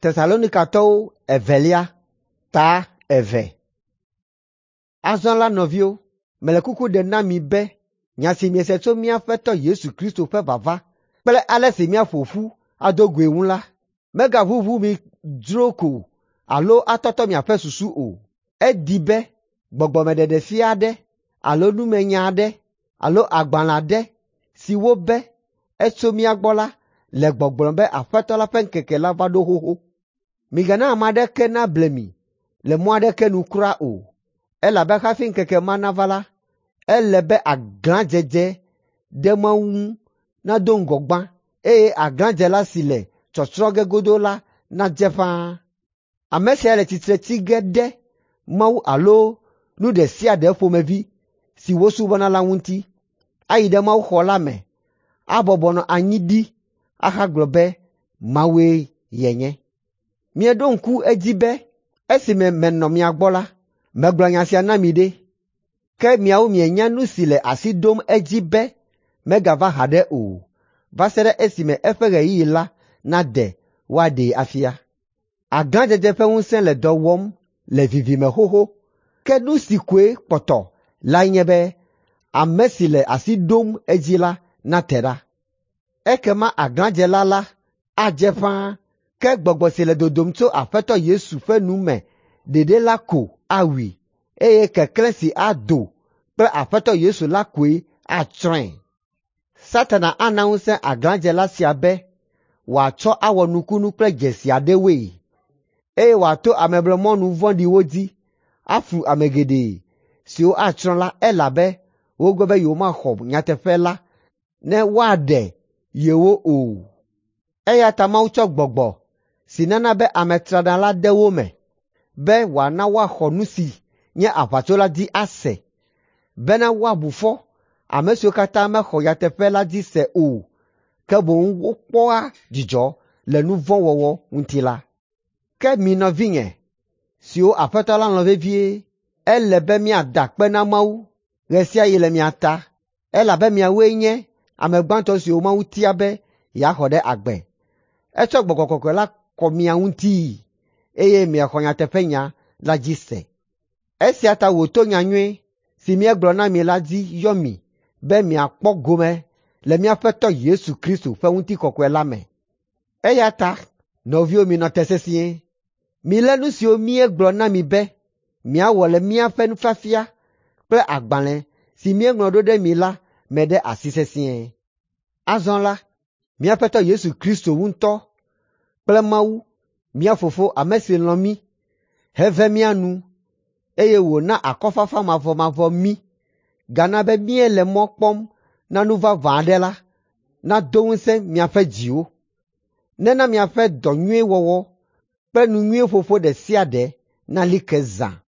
Tesalonikatɔwo evelia ta 2. Azɔ la nɔviwo, mele kuku ɖem na mi be nya si miese tso mía Aƒetɔ Yesu Kristo ƒe vava kple ale si míaƒo ƒu ado goe ŋu la, megaʋuʋu mi dzro ko alo atɔtɔ miaƒe susu o. Edi be gbɔgbɔmeɖeɖefia aɖe alo numenya aɖe alo agbalẽ aɖe si wobe etso mía gbɔ la le gbɔgblɔm be Aƒetɔ la ƒe ŋkeke la va ɖo xoxo. Migana ame aɖeke nable mi le mɔ aɖeke nu kura o, elabe hafi ŋkeke ma nava la, ele be aglãdzedze ɖe Mawu ŋu nado ŋgɔ gbã, eye aglãdzela si le tsɔtsrɔ̃ ge godoo la nadze ƒãa. Ame sia le tsitre tsi ge ɖe Mawu alo nu ɖe sia ɖe ƒomevi si wosubɔna la ŋuti, ayi ɖe mawuxɔ la me, abɔbɔ nɔ anyi ɖi ahagblɔ be Mawue yenye. Mieɖo ŋku edzi be esime menɔ mia gbɔ la, megblɔ nya sia na mi ɖe. Ke miawo mienya nu si le asi ɖom edzi be megava haɖe o, va se ɖe esime eƒe ɣeyiɣi la nade woaɖee afia. Aglãdzedze ƒe ŋusẽ le dɔ wɔm le vivime xoxo, ke nu si koe kpɔtɔ lae nye be ame si le asi ɖom edzi la nate ɖa. Ekema aglãdzela la adze ƒãa, ke gbɔgbɔ si le dodom tso Aƒetɔ Yesu ƒe nu me ɖeɖe la ko awui, eye keklẽ si ado kple Aƒetɔ Yesu la koe atsrɔ̃e. Satana ana ŋusẽ aglãdzela sia be wòatsɔ awɔ nukunu kple dzesi aɖewoe, eye wòato ameblemɔnu vɔ̃ɖiwo dzi aflu ame geɖe siwo atsrɔ̃ la elabe wogbe be yewomaxɔ nyateƒe la ne woaɖe yewo o. Eya ta Mawu tsɔ gbɔgbɔ si nana be ame trana la de wo me, be wòana woaxɔ nu si nye aʋatso la dzi ase, bena woabu fɔ ame siwo katã mexɔ nyateƒe la dzi se o, ke boŋ wokpɔa dzidzɔ le nu vɔ̃ wɔwɔ ŋuti la. Ke mi nɔvinye siwo Aƒetɔ la lɔ̃ vevie, ele be míada akpe na Mawu ɣe sia ɣi le mia ta, elabe miawoe nye ame gbãtɔ siwo Mawu tia be yeaxɔ ɖe agbe. Etsɔ Gbɔgbɔ Kɔkɔe la kɔ mia ŋutii, eye miexɔ nyateƒenya la dzi se. Esia ta wòto nyanyui si míegblɔ na mi la dzi yɔ mi be miakpɔ gome le mía Aƒetɔ Yesu Kristo ƒe ŋutikɔkɔe la me. Eya ta, nɔviwo minɔ te sesĩe. Milé nu siwo míegblɔ na mi be miawɔ le míaƒe nufiafia kple agbalẽ si míeŋlɔ ɖo ɖe mi la me ɖe asi sesĩe. Azɔ la, mía Aƒetɔ Yesu Kristo ŋutɔ kple Mawu, mía Fofo, ame si lɔ̃ mí, heve mía nu, eye wòna akɔfafa mavɔmavɔ mí, gana be míele mɔ kpɔm na nu vavã aɖe la, nado ŋusẽ miaƒe dziwo. Nena miaƒe dɔ nyui wɔwɔ kple nu nyui ƒoƒo ɖe sia ɖe nali ke zã.